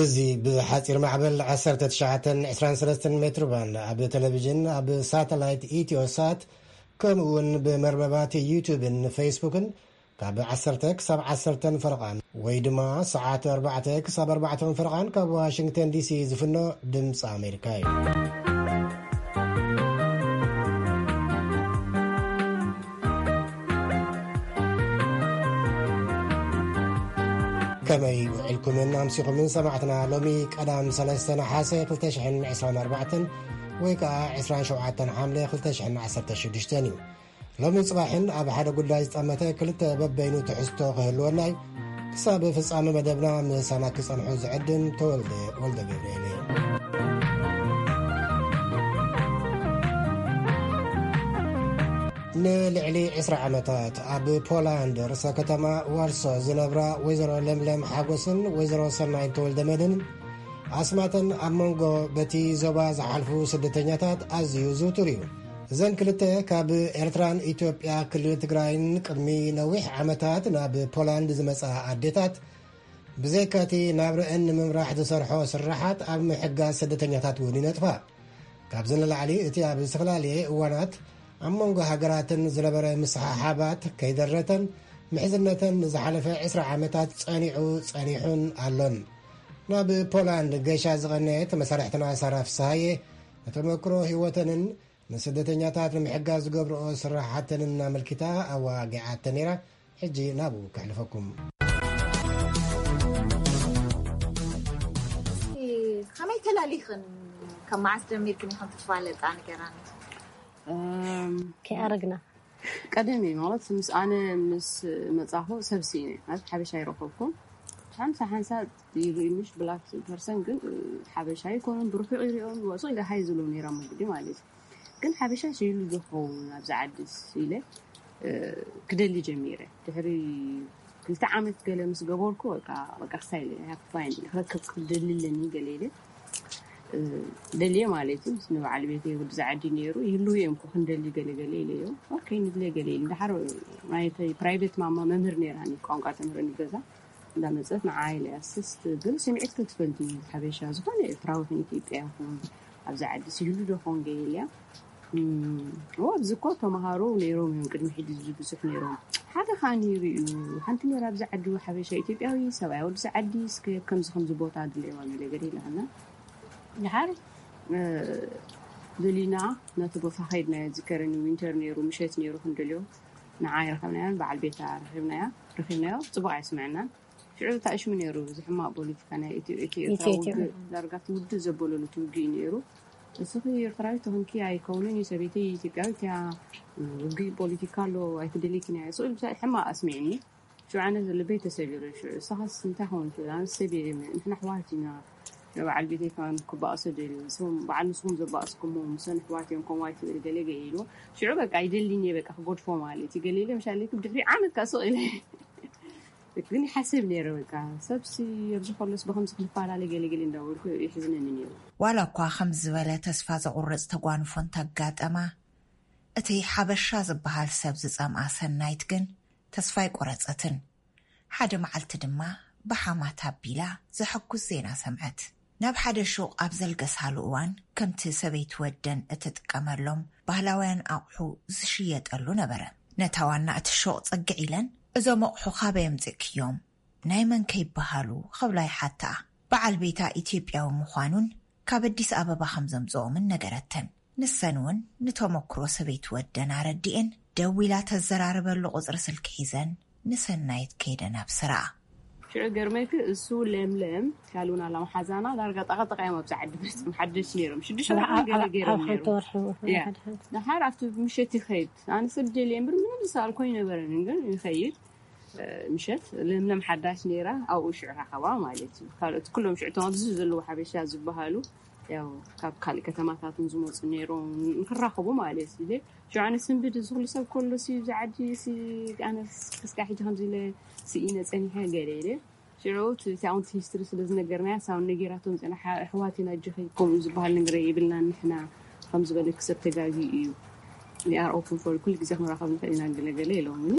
እዚ ብሓፂር ማዕበል ዓሰርተ ትሽዓተን ዕስራን ሰለስተን ሜትሮ ባንድ ኣብ ቴሌቪዥን፣ ኣብ ሳተላይት ኢትዮሳት፣ ከምኡ እውን ብመርበባት ዩቱብን ፌስቡክን ካብ ዓሰርተ ክሳብ ዓሰርተን ፈረቓን ወይ ድማ ሰዓት ኣርባዕተ ክሳብ ኣርባዕተን ፈረቓን ካብ ዋሽንግተን ዲሲ ዝፍኖ ድምፂ ኣሜሪካ እዩ። ከመይ ውዕልኩምን ኣምሲኹምን ሰማዕትና? ሎሚ ቀዳም ሰለስተ ነሓሰ ክልተ ሽሕን ዕስራን ኣርባዕተን ወይ ከዓ ዕስራን ሸውዓተን ሓምለ ክልተ ሽሕን ዓሰርተ ሽዱሽተን እዩ። ሎሚ ጽባሕን ኣብ ሓደ ጉዳይ ዝጠመተ ክልተ በበይኑ ትሕዝቶ ክህልወና እዩ። ክሳብ ፍጻመ መደብና ምሳና ክጸንሑ ዝዕድም ተወልደ ወልደ ገብርኤል እየ። ንልዕሊ ዕስራ ዓመታት ኣብ ፖላንድ ርእሰ ከተማ ዋርሶ ዝነብራ ወይዘሮ ለምለም ሓጎስን ወይዘሮ ሰናይት ተወልደ መድህንን ኣስማተን ኣብ መንጎ በቲ ዞባ ዝሓልፉ ስደተኛታት ኣዝዩ ዝውቱር እዩ። እዘን ክልተ ካብ ኤርትራን ኢትዮጵያ ክልል ትግራይን ቅድሚ ነዊሕ ዓመታት ናብ ፖላንድ ዝመጻ ኣዴታት፣ ብዘይካቲ ናብረአን ንምምራሕ ዝሰርሖ ስራሓት ኣብ ምሕጋዝ ስደተኛታት እውን ይነጥፋ። ካብዚ ንላዕሊ እቲ ኣብ ዝተፈላለየ እዋናት ኣብ መንጎ ሃገራትን ዝነበረ ምስሓሓባት ከይደረተን ምሕዝነተን ንዝሓለፈ ዕስራ ዓመታት ጸኒዑ ጸኒሑን ኣሎን። ናብ ፖላንድ ገሻ ዝቐነየት መሳርሕትና ሳራ ፍስሃየ ንተመክሮ ህይወተንን ንስደተኛታት ንምሕጋዝ ዝገብርኦ ስራሓተንን ኣመልኪታ ኣዋጊዓተን ነይራ። ሕጂ ናብኡ ከሕልፈኩም። ከመይ ተላሊኽን? ካብ መዓስ ጀሚርክን ኢኽን ትፋለጣ? ንገራኒ። እም፣ ከይኣረግና። ቀደም እዩ ማለት ምስ ኣነ ምስ መጻኹ ሰብ ስኢነ ማለት ሓበሻ ይረኸብኩም። ሓንሳ ሓንሳ ይርኢ ምሽ ብላክ ፐርሰን ግን፣ እ፣ ሓበሻ ይኮኑን ብርሑቕ ይሪኦም ወጹ ኢለ ሃይ ዝብሎም ነይራ መጉዲ ማለት እዩ። ግን ሓበሻ ሽይሉ ዝኸውን ኣብዚ ዓድስ ኢለ፣ እ፣ ክደሊ ጀሚረ። ድሕሪ ክልተ ዓመት ገለ ምስ ገበርኩ በቃ፣ በቃ ክሳይ ኢለ፣ I have to find፣ ክረክብ ክደሊ ኣለኒ ገለ ኢለ፣ እ፣ ደልየ ማለት እዩ። ምስ ንበዓል ቤተይ ወዲ ዝዓዲ ነይሩ፣ ይህልው እዮም እኮ ክንደሊ ገለ ገለ ኢለዮ። ኦኬ፣ ንድለ ገለ ኢለ። እንድሓር ናይ ተ-፣ ፕራይቬት ማማ መምህር ነይራኒ፣ ቋንቋ ተምህረኒ ገዛ። እንዳመጸት ንዓይ ኢለ ኣስስት ግን ስምዒት ክትፈልቲ ሓበሻ ዝኾነ ኤርትራዊ ይኹን ኢትዮጵያ ይኹን ኣብዚ ዓዲ ሲህሉ ዶ ኾን ገይልያ። እም፣ ኦ፣ ኣብዚ እኮ ተምሃሮ ነይሮም እዮም፣ ቅድሚ ሕጂ እዚ ብዙሕ ነይሮም። ሓደ ኸኣ ነይሩ እዩ፣ ሓንቲ ነይራ ኣብዚ ዓዲ ሓበሻ ኢትዮጵያዊ ሰብኣይ ወዲ ዓዲ እስከ ከምዚ ከምዚ ቦታ ድልየዋ ገለ ገለ ኢላና። ድሓር፣ እ፣ ደሊና ነቲ ቦታ ኸይድና ዝከረኒ ዊንተር ነይሩ፣ ምሸት ነይሩ ክንደልዮ ንዓይ ረኸብናያን በዓል ቤታ ረኺብናያ፣ ረኺብናዮ፣ ጽቡቕ ኣይስምዐናን። ሽዑ ተኣሽሙ ነይሩ፣ እዚ ሕማቕ ፖለቲካ ናይ ኢትዮ-፣ ኢትዮ-፣ ኤርትራ ኢትዮ-፣ ኢትዮ። ውግእ፣ ዳርጋ እቲ ውድእ ዘበለሉ እቲ ውግእ እዩ ነይሩ። እስኺ ኤርትራዊት ተኾንኪ ኣይከውንን እዩ፣ ሰበይተይ ኢትዮጵያዊት እያ፣ ውግእ ፖለቲካ ኣሎ፣ ኣይትደልይክን እያ፣ ስቕ ኢሉ ብዛዕባ ሕማቕ ኣስሚዕኒ። ሽዑ ኣነ ልበይ ተሰቢሩ፣ ሽዑ እሳኻስ እንታይ ኸውን ትብል? ኣነ ሰብ እየ፣ ንሕና ኣሕዋት ኢና፣ ንበዓል ቤተይ ከማን ክባእሶ ደልዩ፣ ንስኹም፣ በዓል ንስኹም ዘባእስኩሞ፣ ምሰን ኣሕዋት እዮም፣ ከምኡ ኣይትበል፣ ገለ ገለ ኢሉ። ሽዑ በቃ ኣይደልን እየ፣ በቃ ክገድፎ ማለት እዩ፣ ገለ ኢለ፣ ምሻለይኩም ድሕሪ ዓመት ከኣ ስቕ ኢለ። ግን ይሓስብ ነይረ፣ በቃ፣ ሰብሲ ኣብዚ ከሎስ ብኸምዚ ክንፈላለ ገለ ገለ እንዳበልኩ ይሕዝነኒ ነይሩ። ዋላ እኳ ከምዚ ዝበለ ተስፋ ዘቑርጽ ተጓንፎ እንተጋጠማ፣ እቲ ሓበሻ ዝበሃል ሰብ ዝጸምኣ ሰናይት ግን ተስፋ ኣይቆረጸትን። ሓደ መዓልቲ ድማ ብሓማት ኣቢላ ዘሐጉስ ዜና ሰምዐት። ናብ ሓደ ሹቕ ኣብ ዘልገሳሉ እዋን፣ ከምቲ ሰበይቲ ወደን እትጥቀመሎም ባህላውያን ኣቑሑ ዝሽየጠሉ ነበረ። ነታ ዋና እቲ ሹቕ ጽግዕ ኢለን፣ "እዞም ኣቑሑ ካበይ ኣምጺእክዮም? ናይ መን ከ ይበሃሉ?" ክብላ ይሓትኣ። በዓል ቤታ ኢትዮጵያዊ ምዃኑን ካብ ኣዲስ ኣበባ ከም ዘምጽኦምን ነገረተን። ንሰን እውን ንተመክሮ ሰበይቲ ወደን ኣረዲኤን፣ ደዊላ ተዘራርበሉ ቁጽሪ ስልኪ ሒዘን ንሰናይት ከይደን ኣብ ስራኣ። ሽዑ ገርመኪ፣ እሱ ለምለም ካልኡን ኣላ መሓዛና ዳርጋ ጠቐጠቓ እዮም ኣብዚ ዓዲ መጽም ሓደሽ ነይሮም። ሽዱሽተ ወርሒ ኣብ፣ ገለ ኣብ፣ ገይሮም ኣብ ሓንቲ ነይሮም። ወርሒ፣ እያ። ሓደ ሓንቲ። ደሓር ኣብቲ ምሸት ይኸይድ። ኣነ ሰብ ደልየ እምበር ምንም ዝሰኣልኮ ኣይነበረንን፣ ግን ይኸይድ። እ፣ ምሸት ለምለም ሓዳሽ ነይራ፣ ኣብኡ ሽዑ ረኸባ ማለት እዩ። ካልኦት ኩሎም ሽዑ እቶም ኣብዚ ዘለዉ ሓበሻ ዝበሃሉ፣ ያው ካብ ካልእ ከተማታት እውን ዝመጹ ነይሮም፣ ንክራኸቡ ማለት እዩ። ሽዑ ኣነ ስንብድ፣ እዚ ኩሉ ሰብ ከሎ ሲ፣ እዚ ዓዲ ሲ፣ ኣነ ክስካዕ ሕጂ ከምዚ ኢለ ስኢነ ጸኒሐ ገለ ኢለ። ሽዑ እቲ ኣውንት ሂስትሪ ስለ ዝነገርናያ ሳውን ነጊራቶም ፅና ኣሕዋት ኢና ጅኸይ ከምኡ ዝበሃል ነገር የብልና ንሕና ከም ዝበለክ ሰብ ተጋጊ እዩ። We are open for ኩሉ ግዜ ክንራኸብ ንኽእል ኢና ገለገለ ኢሎምኒ።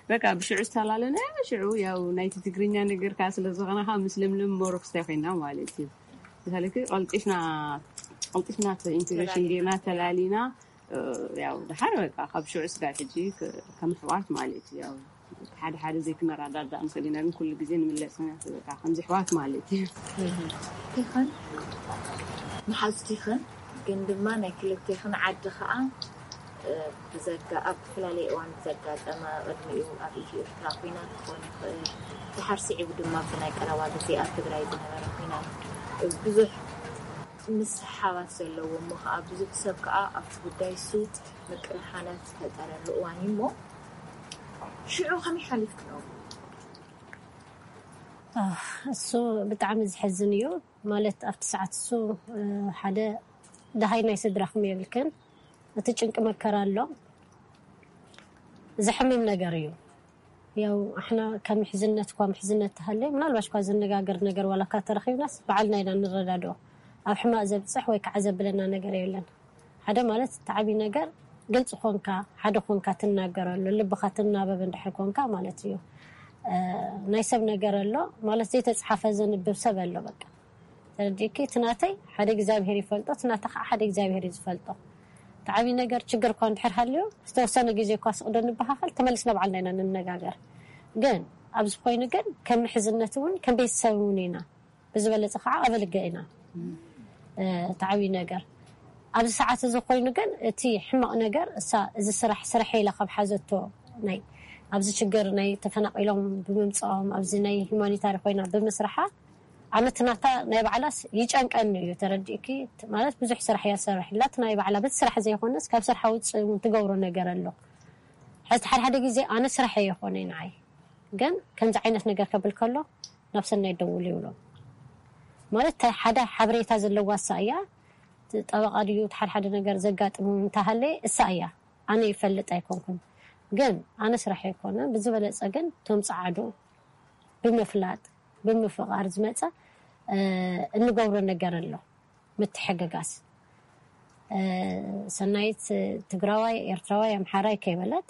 በቃ ብሽዑ ዝተላለና ሽዑ ያው ናይቲ ትግርኛ ነገር ከዓ ስለ ዝኾነ ከዓ ምስ ለምለም ሞሮክስታይ ኮይና ማለት እዩ። ምሳሌ ቀልጢፍና ቀልጢፍና ኢንቴግሬሽን ጌርና ተላሊና ያው ድሓር በቃ ካብ ሽዑ ስጋብ ሕጂ ከም ኣሕዋት ማለት እዩ። ያው ሓደ ሓደ ዘይክንረዳዳእ ንኽእል ኢና፣ ግን ኩሉ ግዜ ንምለስ ኢና በቃ ከምዚ ኣሕዋት ማለት እዩ። ይኽን መሓዝቲ ይኽን ግን ድማ ናይ ክልቴኽን ዓዲ ከዓ ብዘጋ ኣብ ዝተፈላለየ እዋን ብዘጋጠመ ቅድሚኡ ኣብ ኢትዮ ኤርትራ ኩናት ክኾን ይኽእል። ድሓር ስዒቡ ድማ ብናይ ቀረባ ግዜ ኣብ ትግራይ ዝነበረ ኩናት ብዙሕ ምስሕሓባት ዘለዎ እሞ ከዓ ብዙሕ ሰብ ከዓ ኣብቲ ጉዳይ እሱ ምቅርሓናት ዝፈጠረሉ እዋን እዩ እሞ ሽዑ ከመይ ሓሊፍክኖ? እሱ ብጣዕሚ ዝሕዝን እዩ። ማለት ኣብቲ ሰዓት እሱ ሓደ ደሃይ ናይ ስድራኹም የብልክን። እቲ ጭንቂ መከራ ኣሎ፣ ዘሕምም ነገር እዩ። ያው ኣሕና ካብ ምሕዝነት እኳ ምሕዝነት ተሃለየ ምናልባሽ እኳ ዝነጋገር ነገር ዋላ እኳ ተረኺብናስ ባዕልና ኢና ንረዳድኦ። ኣብ ሕማቕ ዘብፅሕ ወይ ከዓ ዘብለና ነገር የለን። ሓደ ማለት እቲ ዓብዪ ነገር ግልፂ ኮንካ ሓደ ኮንካ ትናገረሉ ልብኻ ትናበብ እንድሕር ኮንካ ማለት እዩ። ናይ ሰብ ነገር ኣሎ ማለት ዘይተፅሓፈ ዘንብብ ሰብ ኣሎ በቃ ተረዲእኪ እቲ ናተይ ሓደ እግዚኣብሄር ይፈልጦ እቲ ናታ ከዓ ሓደ እግዚኣብሄር እዩ ዝፈልጦ። እቲ ዓብዪ ነገር ችግር እኳ እንድሕር ሃልዩ ዝተወሰነ ግዜ እኳ ስቕ ዶ ንበሃኸል ተመሊስና ባዕልና ኢና ንነጋገር። ግን ኣብዚ ኮይኑ ግን ከም ምሕዝነት እውን ከም ቤተሰብ እውን ኢና ብዝበለፀ ከዓ ኣበልገ ኢና። እቲ ዓብዪ ነገር ኣብዚ ሰዓት እዚ ኮይኑ ግን እቲ ሕማቕ ነገር እሳ እዚ ስራሕ ስርሐ ኢላ ካብ ሓዘቶ ናይ ኣብዚ ችግር ናይ ተፈናቒሎም ብምምፅኦም ኣብዚ ናይ ሂማኒታሪ ኮይና ብምስርሓ ኣነ እቲ ናታ ናይ ባዕላስ ይጨንቀኒ እዩ ተረዲእኪ ማለት ብዙሕ ስራሕ እያ ትሰርሕ ኢላ እቲ ናይ ባዕላ በቲ ስራሕ ዘይኮነስ ካብ ስርሓ ውፅእ እውን ትገብሮ ነገር ኣሎ ሕዚ ሓደ ሓደ ግዜ ኣነ ስራሕ የኮነ ንዓይ ግን ከምዚ ዓይነት ነገር ከብል ከሎ ናብ ሰናይ ደውሉ ይብሎ ማለት ሓደ ሓበሬታ ዘለዋ እሳ እያ ጠበቃ ድዩ ሓደ ሓደ ነገር ዘጋጥሙ እንተሃለ እሳ እያ ኣነ ይፈልጥ ኣይኮንኩን ግን ኣነ ስራሕ ኣይኮነ ብዝበለፀ ግን ቶም ፀዓዱ ብምፍላጥ ብምፍቃር ዝመፀ እንገብሮ ነገር ኣሎ ምትሕግጋዝ ሰናይት ትግራዋይ ኤርትራዋይ ኣምሓራይ ከይበለት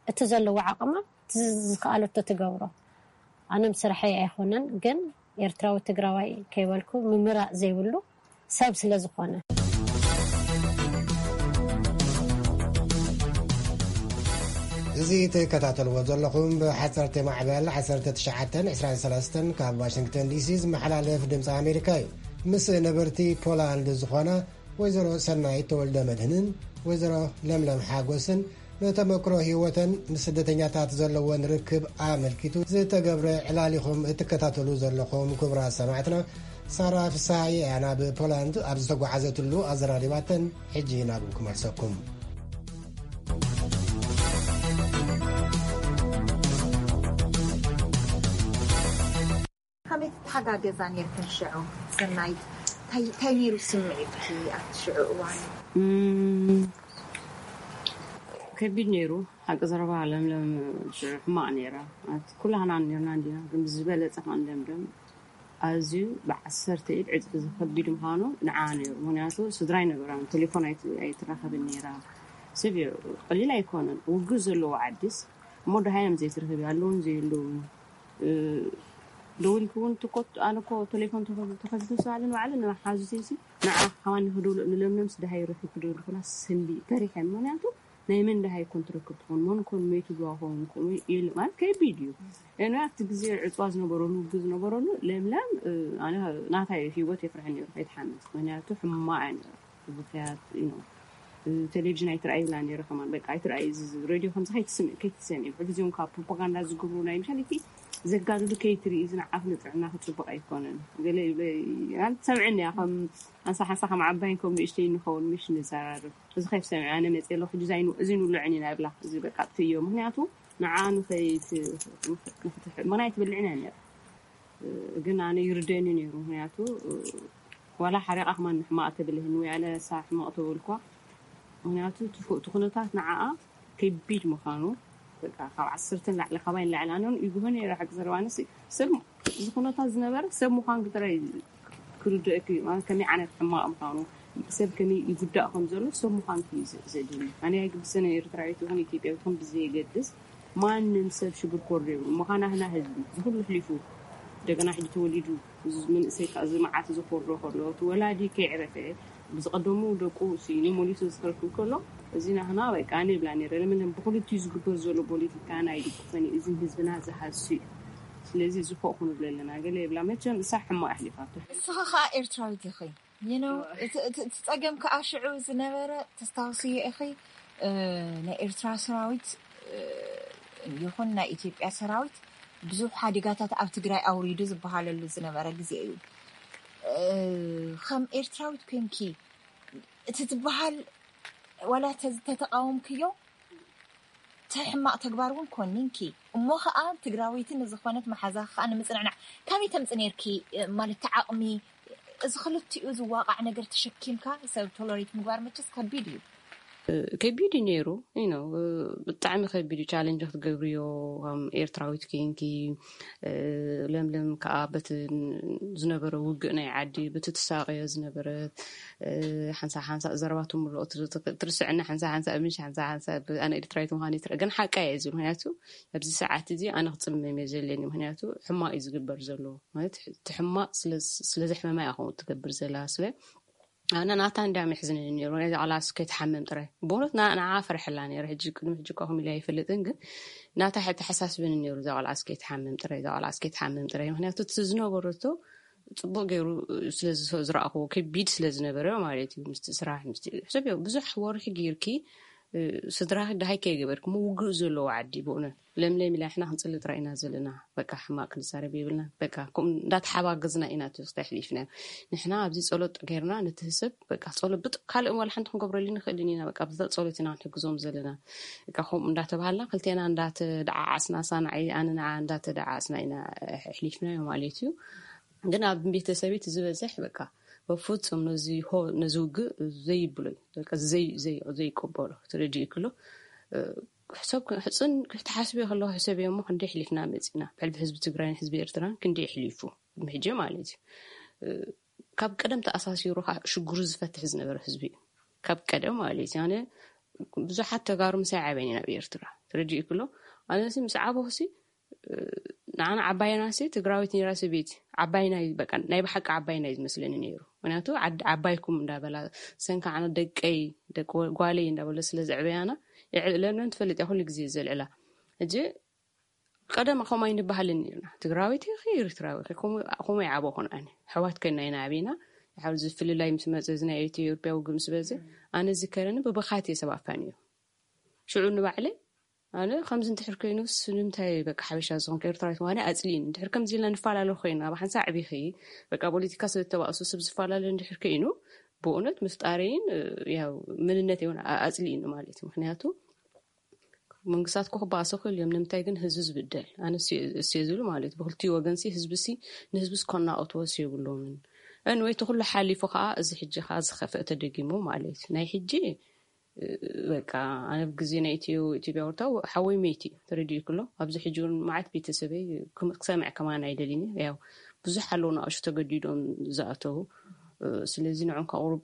እቲ ዘለዎ ዓቅማ ዝከኣለቶ ትገብሮ ኣነም ስርሐይ ኣይኮነን ግን ኤርትራዊ ትግራዋይ ከይበልኩ ምምራእ ዘይብሉ ሰብ ስለ ዝኾነ እዚ ትከታተልዎ ዘለኹም ብሓፀርቲ ማዕበል ዓሰርተ ትሽዓተን ዕስራን ሰለስተን ካብ ዋሽንግተን ዲሲ ዝመሓላለፍ ድምፂ ኣሜሪካ እዩ። ምስ ነበርቲ ፖላንድ ዝኾና ወይዘሮ ሰናይት ተወልደ መድህንን ወይዘሮ ለምለም ሓጎስን ንተመክሮ ህይወተን ምስ ስደተኛታት ዘለወን ርክብ ኣመልኪቱ ዝተገብረ ዕላል ኢኹም እትከታተሉ ዘለኹም። ክቡራት ሰማዕትና፣ ሳራ ፍስሃየ እያ ናብ ፖላንድ ኣብ ዝተጓዓዘትሉ ኣዘራሪባተን። ሕጂ ናብኡ ክመልሰኩም። ከመይ ትተሓጋገዛ ነርክን ሽዑ? ሰናይት እንታይ ነይሩ ስምዒትኪ ኣብቲ ሽዑ እዋን? ከቢድ ነይሩ። ሓቂ ዘረባ ለምለም ሽዑ ሕማቕ ነይራ። ኩላህና ነርና እንዲና፣ ግን ብዝበለፀ ከዓ ለምለም ኣዝዩ ብዓሰርተ ኢድ ዕፅፊ ዝከቢድ ምዃኑ ንዓ ነይሩ። ምክንያቱ ስድራ ኣይነበራን፣ ቴሌፎን ኣይትራኸብን ነይራ። ሰብ ቀሊል ኣይኮነን። ውግእ ዘለዎ ዓዲስ እሞ ደሃዮም ዘይትረኽቢ ኣለውን ዘየለውን ደዊልኪ እውን ትኮት ኣነ እኮ ቴሌፎን ተኸፊቱ ስባልን ባዕለ ንሓዙተይሲ ንዓ ሓዋኒ ክድውሎ ንለምለምስ ደሃይ ረኺብ ክድውል ኩላ ሰንቢ ፈሪሐ ምክንያቱ ናይ መን ደሃይ ኮን ትረክብ ትኾን መን ኮን መይቱ ድዋ ኾን ኮን የለ ማለት ከቢድ እዩ። እነ ኣብቲ ግዜ ዕፅዋ ዝነበረሉ ውግ ዝነበረሉ ለምለም ኣነ ናታይ ህይወት የፍርሐ ነይሩ ከይትሓምስ ምክንያቱ ሕማቅ እያ ነይራ። ብፍያት ቴሌቪዥን ኣይትረኣይ ይብላ ነይረ ከማን በቃ ኣይትረኣይ ሬድዮ ከምዚ ከይትስምዕ ከይትሰምዒ ብሕጊ እዚኦም ካብ ፕሮፓጋንዳ ዝገብሩ ናይ ምሻል እቲ ዘጋድሉ ከይትርኢ እዚ ንዓኽ ንጥዕና ክፅቡቅ ኣይኮነን ገለ ይብለ ትሰምዐኒ እያ ከም ሓንሳ ሓንሳ ከም ዓባይን ከም ንእሽተይ ንኸውን ምሽ ንዘራርብ እዚ ከይትሰምዒ ኣነ መፅእ ኣለኹ ሕጂ እዚ ንውልዕን ኢና ይብላ እዚ በቃ ትእዮ ምክንያቱ ንዓ ንኸይት ምክንያት ትብልዕን እያ ነይራ ግን ኣነ ይርደኒ ነይሩ ምክንያቱ ዋላ ሓሪቓ ከማን ንሕማቕ ተብልህኒ ወይ ኣለ እሳ ሕማቕ ተበልኳ ምክንያቱ እቲ ኩነታት ንዓኣ ከቢድ ምዃኑ በቃ ካብ ዓሰርተ ንላዕሊ፣ ካባይ ንላዕሊ። ኣነ እውን ይግሆ ነይረ ሓቂ ዘረባ ኣነሲ ሰብ እዚ ኩነታት ዝነበረ ሰብ ምዃን ጥራይ ክርድእክ እዩ። ማለት ከመይ ዓይነት ሕማቕ ምዃኑ፣ ሰብ ከመይ ይጉዳእ ከም ዘሎ ሰብ ምዃን እዩ ዘ- ዘድሊ። ኣነ ኣይግድሰን ኤርትራዊት ይኹን ኢትዮጵያዊት ይኹን ብዘየገድስ ማንም ሰብ ሽግር ኮር የብሉ። ምዃን ኣህና ህዝቢ ዝኩሉ ኣሕሊፉ እንደገና ሕጂ ተወሊዱ እዚ መንእሰይ ከዓ እዚ መዓት እዚ ኮርዶ ከሎ እቲ ወላዲ ከይዕረፈ ብዝቐደሙ ደቁ ስኢኑ መሊሱ ዝከልክል ከሎ እዚ ናህና በቃ ኣነ ይብላ ነይረ። ለምን ብክልቲኡ ዝግበር ዘሎ ፖለቲካ ናይ ድግፈን እዩ። እዚ ህዝብና ዝሃሱ እዩ። ስለዚ እዚ ፎቕ ክንብለ ኣለና። ገለ ይብላ መቸም እሳ ሕማቕ ኣሕሊፋቶ። ንስኻ ከዓ ኤርትራዊት ኢኺ። You know፣ እቲ እቲ- እቲ ጸገም ከዓ ሽዑ ዝነበረ ተስታውስዮ ኢኺ። እ፣ ናይ ኤርትራ ሰራዊት እ፣ ይኹን ናይ ኢትዮጵያ ሰራዊት ብዙሕ ሓደጋታት ኣብ ትግራይ ኣውሪዱ ዝበሃለሉ ዝነበረ ግዜ እዩ። እ፣ ከም ኤርትራዊት ኮንኪ እቲ ዝበሃል ዋላ ተተቃወምክዮ እቲ ሕማቕ ተግባር እውን ኮኒንኪ እሞ ከዓ ትግራወይቲ ንዝኾነት መሓዛ ከዓ ንምፅንዕናዕ ካበይ ተምፂ ነርኪ? ማለት እቲ ዓቕሚ እዚ ክልቲኡ ዝዋቃዕ ነገር ተሸኪምካ ሰብ ቶለሬት ምግባር መቸስ ከቢድ እዩ። ከቢድ እዩ ነይሩ። You know፣ ብጣዕሚ ከቢድ እዩ። ቻለንጅ ክትገብርዮ ከም ኤርትራዊት ኮንኪ፣ ለምለም ከዓ በቲ ዝነበረ ውግእ ናይ ዓዲ፣ በቲ ትሳቀዮ ዝነበረት ሓንሳ ሓንሳ ዘረባ ትምልኦ ትርስዕና ሓንሳ ሓንሳ ምሽ ሓንሳ ሓንሳ ኣነ ኤርትራዊት ምዃን ይትረ ግን ሓቃ እየ ዝብል። ምክንያቱ ኣብዚ ሰዓት እዚ ኣነ ክፅመም እየ ዘለኒ። ምክንያቱ ሕማቅ እዩ ዝግበር ዘሎ። ማለት እቲ ሕማቅ ስለዘሕመማ እያ ከምኡ ትገብር ዘላ። ስለ ኣነ ናታ እንዳ መሕዝኒ ነይሩ። ነዛ ቆልዓ እስከ ትሓምም ጥራይ ብእውነት ንዓ ፈርሐላ ነይረ። ሕጂ ቅድሚ ሕጂ እኳ ከምኢለ ኣይፈልጥን፣ ግን ናታ ተሓሳስብኒ ነይሩ። እዛ ቆልዓ እስከ ትሓምም ጥራይ፣ እዛ ቆልዓ እስከ ትሓምም ጥራይ። ምክንያቱ እቲ ዝነበረቶ ፅቡቅ ገይሩ ስለዝረኣኽዎ ከቢድ ስለዝነበረ ማለት እዩ። ምስቲ ስራሕ ምስቲ ሕሰብ ብዙሕ ወርሒ ገይርኪ ስድራኺ ድሃይ ከይገበርኪ ምውግእ ዘለዎ ዓዲ ብእውነት ለምለም ኢላ ንሕና ክንፅሊ ጥራይ ኢና ዘለና። በቃ ሕማቅ ክንዛረብ የብልና። በቃ ከምኡ እንዳተሓባገዝና ኢና እቲ ክስታይ ኣሕሊፍናዮ። ንሕና ኣብዚ ጸሎት ጌርና ነቲ ህሰብ በቃ ጸሎት ብጥ ካልእ ዋላ ሓንቲ ክንገብረሉ ንኽእልን ኢና። በቃ ብዛ ጸሎት ኢና ክንሕግዞም ዘለና። በቃ ከምኡ እንዳተባሃልና ክልቴና እንዳተደዓዓስና ሳናዓይ ኣነ ንዓ እንዳተደዓዓስና ኢና ኣሕሊፍናዮ ማለት እዩ። ግን ኣብ ቤተሰበይ እቲ ዝበዝሕ በቃ በፍጹም ነዚ ሆ ነዚ ውግእ ዘይብሎ እዩ። በቃ ዘይ ዘይ ዘይቀበሎ ተረዲእክሎ ሰብ ሕፅን ክትሓስብዮ ከለኹ ሕሰብዮ እሞ ክንደይ ኣሕሊፍና መፂና ብሕልፊ ህዝቢ ትግራይን ህዝቢ ኤርትራን ክንደይ ኣሕሊፉ ሕጂ ማለት እዩ። ካብ ቀደም ተኣሳሲሩ ከዓ ሽግሩ ዝፈትሕ ዝነበረ ህዝቢ እዩ። ካብ ቀደም ማለት እዩ። ኣነ ብዙሓት ተጋሩ ምሳይ ዓብየን ኢና ኣብ ኤርትራ ተረዲእክሎ ኣነሲ ምስ ዓበኹሲ ንዓና ዓባይና ሲ ትግራዊት ነይራ ስቤት ዓባይና እዩ በቃ ናይ ብሓቂ ዓባይና እዩ ዝመስለኒ ነይሩ። ምክንያቱ ዓድ ዓባይኩም እንዳበላ ሰንካ ዓነ ደቀይ ደቂ ጓለይ እንዳበለ ስለ ዘዕበያና የዕለለን ትፈልጥ እያ ኩሉ ግዜ ዘልዕላ። ሕጂ ቀደም ከምኡ ኣይንበሃልን ነርና። ትግራዊት ኢኺ ኤርትራዊ ኢኺ ከምኡ ከምኡ ይዓበኹን ኣነ ኣሕዋት ኮይና ኢና ዓቢና። ሓው ዝፍልላይ ምስ መፀ እዚ ናይ ኢትዮጵያ ውግእ ምስ በዘ ኣነ ዝከረኒ ብብኻት እየ ሰብ ኣፋንዮ። ሽዑ ንባዕለይ ኣነ ከምዚ እንድሕር ኮይኑስ ንምንታይ በቃ ሓበሻ ዝኾንኩ ኤርትራዊት ምዃነይ ኣፅሊእኒ። እንድሕር ከምዚ ኢልና ንፈላለ ኮይና ኣብ ሓንሳእ ኣዕቢኺ በቃ ፖለቲካ ስለ ዝተባእሱ ሰብ ዝፈላለ እንድሕር ኮይኑ ብእውነት ምፍጣረይን ያው መንነተይ እውን ኣፅሊእኒ ማለት እዩ። ምክንያቱ መንግስታት እኮ ክበኣሱ ክእል እዮም። ንምንታይ ግን ህዝቢ ዝብደል ኣነ እሱ እየ ዝብል ማለት እዩ። ብክልቲኡ ወገን ሲ ህዝቢ ሲ ንህዝቢ ሲ ከናቕትዎ ሲ የብሎምን። Anyway እቲ ኩሉ ሓሊፉ ከዓ እዚ ሕጂ ከዓ ዝኸፍአ ተደጊሙ ማለት እዩ። ናይ ሕጂ በቃ ኣነ ኣብ ግዜ ናይ ኢትዮ ኢትዮጵያ ወርታ ሓወይ መይቲ ተረዲኡ ክሎ ኣብዚ ሕጂ እውን መዓት ቤተሰበይ ክም- ክሰምዕ ከማን ኣይደልን እየ። ያው ብዙሕ ኣለዉ ንኣሹ ተገዲዶም ዝኣተዉ እ፣ ስለዚ ንዖም ከቕርብ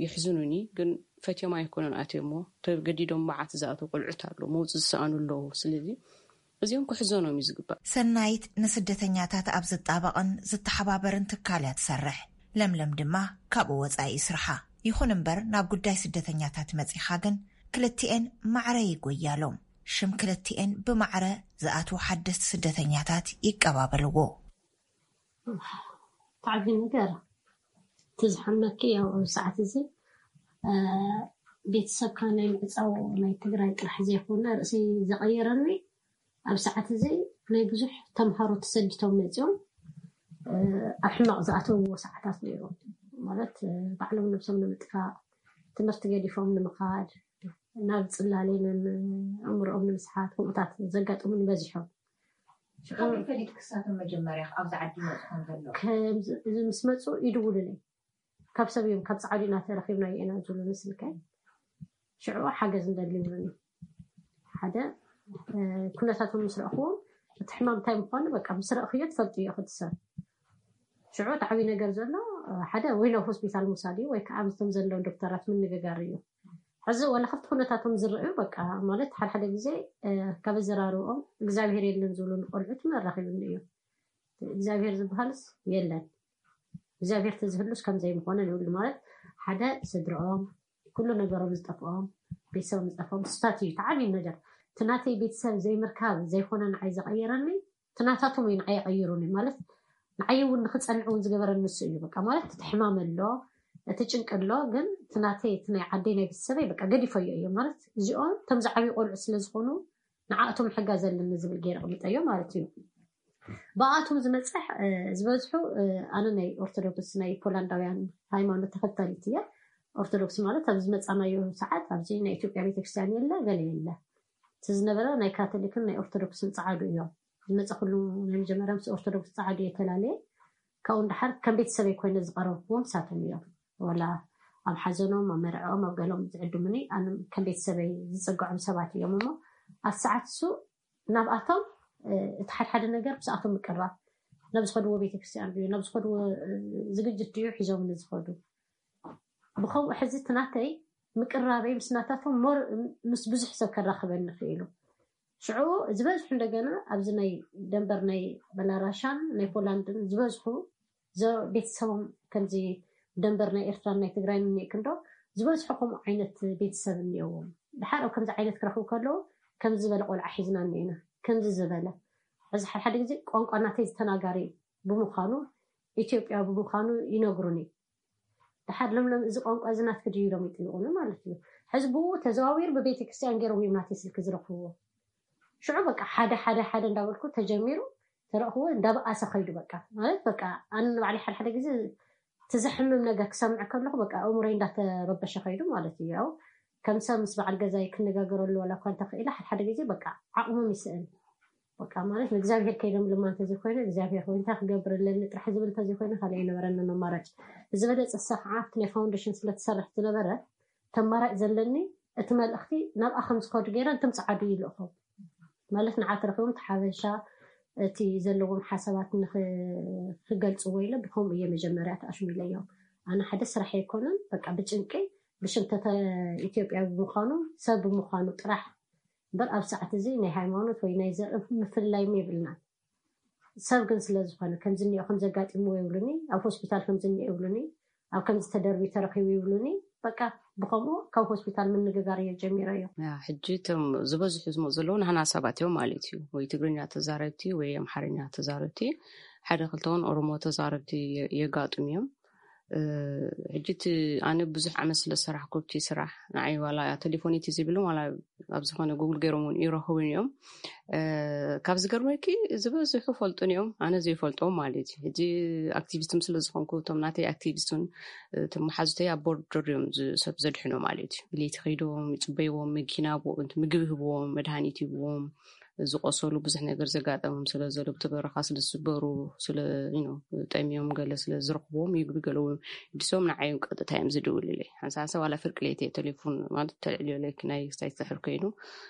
ይሕዝኑኒ ግን ፈትዮም ኣይኮኑን ኣትዮሞ ተገዲዶም መዓት ዝኣተዉ ቆልዑት ኣለዉ መውፅእ ዝሰኣኑ ኣለዉ። ስለዚ እዚኦም ክሕዘኖም እዩ ዝግባእ። ሰናይት ንስደተኛታት ኣብ ዝጣበቕን ዝተሓባበርን ትካል እያ ትሰርሕ። ለምለም ድማ ካብኡ ወጻኢ ስርሓ። ይኹን እምበር ናብ ጉዳይ ስደተኛታት መጺኻ ግን ክልቲኤን ማዕረ ይጎያሎም። ሽም ክልቲኤን ብማዕረ ዝኣትዉ ሓደስቲ ስደተኛታት ይቀባበልዎ። ታዕቢ ነገር እቲ ዝሓመኪ ያው ኣብ ሰዓት እዚ ቤተሰብካ ናይ ምዕፃው ናይ ትግራይ ጥራሕ ዘይኮነ ርእሲ ዘቐየረኒ ኣብ ሰዓት እዚ ናይ ብዙሕ ተምሃሮ ተሰዲቶም መፂኦም ኣብ ሕማቕ ዝኣተውዎ ሰዓታት ነይሮም። ማለት ባዕሎም ነብሶም ንምጥፋእ ትምህርቲ ገዲፎም ንምኻድ ናብ ፅላሌንን ኣእምሮኦም ንምስሓት ከምኡታት ዘጋጥሙን በዚሖም። ሽዑ ፈሊጥ ክሳቶም መጀመርያ ኣብዚ ዓዲ ይመፁ ከም ዘለዉ ከምዚ እዚ ምስ መፁ ይድውሉለይ ካብ ሰብ እዮም ካብ ፃዕዱ ኢና ተረኪብናዮ ኢና ዝብሉኒ ስልከይ ሽዑ ሓገዝ እንደሊ ይብሉኒ ሓደ ኩነታቶም ምስ ረእኽዎም እቲ ሕማም እንታይ ምዃኑ በቃ ምስ ረእኽዮ ትፈልጥዮ። ክቲ ሰብ ሽዑ እቲ ዓብዪ ነገር ዘሎ ሓደ ወይ ናብ ሆስፒታል ምውሳድ እዩ፣ ወይ ከዓ ምስቶም ዘለዉ ዶክተራት ምንግጋር እዩ። ሕዚ ዋላ ክፍቲ ኩነታቶም ዝረእዩ በቃ ማለት ሓደ ሓደ ግዜ ካብ ኣዘራርብኦም እግዚኣብሔር የለን ዝብሉ ቆልዑት ኣራኺቡኒ እዩ። እግዚኣብሔር ዝበሃልስ የለን። እግዚኣብሔር ተዝህሉስ ከምዘይምኾነ ይብሉ ማለት ሓደ ስድርኦም ኩሉ ነገሮም ዝጠፍኦም ቤተሰቦም ዝጠፍኦም ስታት እዩ ተዓብዩ ነገር። ትናተይ ቤተሰብ ዘይምርካብ ዘይኮነ ንዓይ ዘቐየረኒ ትናታቶም እዩ ንዓይ ቀይሩኒ ማለት ንዓይ እውን ንክፀንዕ እውን ዝገበረ ንሱ እዩ። በቃ ማለት እቲ ሕማም ኣሎ እቲ ጭንቂ ኣሎ፣ ግን ትናተይ እቲ ናይ ዓደይ ናይ ቤተሰበይ በቃ ገዲፈዮ እዮ ማለት እዚኦም ከም ዝዓብዩ ቆልዑ ስለዝኾኑ ንዓእቶም ሕጋ ዘለኒ ዝብል ገይረ ቅምጠዮ ማለት እዩ። ብኣቶም ዝመፅሕ ዝበዝሑ ኣነ ናይ ኦርቶዶክስ ናይ ፖላንዳውያን ሃይማኖት ተኸተሊት እየ። ኦርቶዶክስ ማለት ኣብ ዝመፃናዮ ሰዓት ኣብዚ ናይ ኢትዮጵያ ቤተክርስትያን የለ ገለ የለ እቲ ዝነበረ ናይ ካቶሊክን ናይ ኦርቶዶክስን ፀዓዱ እዮም ዝመፀ ኩሉ ናይ መጀመርያ ምስ ኦርቶዶክስ ፀዓዱ የተላለየ ካብኡ ንድሓር ከም ቤተሰበይ ኮይነ ዝቀረብክዎም ሳቶም እዮም። ወላ ኣብ ሓዘኖም ኣብ መርዕኦም ኣብ ገሎም ዝዕድሙኒ ኣነ ከም ቤተሰበይ ዝፀግዖም ሰባት እዮም እሞ ኣብ ሰዓት እሱ ናብኣቶም እቲ ሓድሓደ ነገር ብስኣቶም ምቅራብ ናብ ዝኸድዎ ቤተክርስትያን ድዩ ናብ ዝኸድዎ ዝግጅት ድዩ ሒዞም ዝኸዱ ብከምኡ ሕዚ ትናተይ ምቅራበይ ምስ ናታቶም ሞር ምስ ብዙሕ ሰብ ከራኽበኒ ክኢሉ። ሽዑ ዝበዝሑ እንደገና ኣብዚ ናይ ደንበር ናይ በላራሻን ናይ ፖላንድን ዝበዝሑ ቤተሰቦም ከምዚ ደንበር ናይ ኤርትራን ናይ ትግራይን እኒኤ ክንዶ ዝበዝሑ ከምኡ ዓይነት ቤተሰብ እኒኦዎም። ድሓር ኣብ ከምዚ ዓይነት ክረኽቡ ከለዉ ከምዚ ዝበለ ቆልዓ ሒዝና እኒኤና ከምዚ ዝበለ እዚ ሓድሓደ ግዜ ቋንቋ ናተይ ዝተናጋሪ ብምዃኑ ኢትዮጵያ ብምዃኑ ይነግሩኒ። ድሓር ለምለም እዚ ቋንቋ እዚ ናትኪ ድዩ ኢሎም ይጥይቁኒ ማለት እዩ። ሕዚ ብኡ ተዘዋዊሩ ብቤተክርስትያን ገይሮም እዮም ናተይ ስልኪ ዝረኽብዎ። ሽዑ በቃ ሓደ ሓደ ሓደ እንዳበልኩ ተጀሚሩ ተረእኽዎ እንዳበኣሰ ከይዱ በቃ ማለት በቃ ኣነ ንባዕለይ ሓደ ሓደ ግዜ እቲ ዘሕምም ነገር ክሰምዕ ከለኹ በቃ ኣእምሮይ እንዳተረበሸ ከይዱ ማለት እዩ። ያው ከም ሰብ ምስ በዓል ገዛይ ክነጋገረሉ ዋላ እኳ እንተኽኢለ ሓደ ሓደ ግዜ በቃ ዓቕሞም ይስእን። በቃ ማለት ንእግዚኣብሔር ከይደምልማ እንተዘይኮይነ እግዚኣብሔር ወይ እንታይ ክገብር ኣለኒ ጥራሕ ዝብል እንተዘይኮይነ ካልእ ኣይነበረንን ኣማራጭ። ዝበለፀ ሰዓት ናይ ፋውንዴሽን ስለትሰርሕ ዝነበረ ተማራጭ ዘለኒ እቲ መልእኽቲ ናብኣ ከም ዝኸዱ ገይረ እንቶም ፀዓዱ ይልእኹም ማለት ንዓት ረኪቦም ተሓበሻ እቲ ዘለዎም ሓሳባት ንክገልፅዎ ኢለ ብከምኡ እየ መጀመርያ ተኣሽሚለዮም። ኣነ ሓደ ስራሕ ኣይኮነን በቃ ብጭንቂ ብሽምተተ ኢትዮጵያ ብምዃኑ ሰብ ብምዃኑ ጥራሕ እምበር ኣብ ሰዓት እዚ ናይ ሃይማኖት ወይ ናይ ዘርኢ ምፍልላይም የብልና። ሰብ ግን ስለዝኾነ ከምዚ እኒኦ ከም ዘጋጢምዎ ይብሉኒ፣ ኣብ ሆስፒታል ከምዚ እኒኦ ይብሉኒ፣ ኣብ ከምዚ ተደርቢ ተረኺቡ ይብሉኒ። በቃ ብኸምኡ ካብ ሆስፒታል ምንግጋር እየ ጀሚረዮ። ሕጂ እቶም ዝበዝሑ ዝመፁ ዘለዉ ናህና ሰባት እዮም ማለት እዩ። ወይ ትግርኛ ተዛረብቲ ወይ ኣምሓርኛ ተዛረብቲ፣ ሓደ ክልተውን ኦሮሞ ተዛረብቲ የጋጥሙ እዮም። ሕጂ እቲ ኣነ ብዙሕ ዓመት ስለ ዝሰራሕኩ ኣብቲ ስራሕ ንዓይ ዋላ ቴሌፎን እቲ ዝብልን ዋላ ኣብ ዝኾነ ጉግል ገይሮም እውን ይረኽቡን እዮም። ካብ ዝገርመኪ ዝበዝሑ ፈልጡን እዮም ኣነ ዘይፈልጦም ማለት እዩ። ሕጂ ኣክቲቪስት ስለ ዝኾንኩ እቶም ናተይ ኣክቲቪስት እውን እቶም መሓዙተይ ኣብ ቦርደር እዮም ሰብ ዘድሕኖ ማለት እዩ። ብለይቲ ከይዶም ይፅበይዎም፣ መኪና ምግቢ ህብዎም፣ መድሃኒት ይብዎም ዝቆሰሉ ብዙሕ ነገር ዘጋጠሞም ስለ ዘሎ ብቲ በረኻ ስለ ዝስበሩ ስለ ጠምዮም ገለ ስለ ዝረኽብዎም ይግቢ ገለዎም ድሶም ንዓዮም ቀጥታ እዮም ዝድውልለይ። ሓንሳብ ሓንሳብ ዋላ ፍርቂ ለይቲ እየ ቴሌፎን ማለት ተልዕልዮ ለይክ ናይ ክሳይ ዝሕር ኮይኑ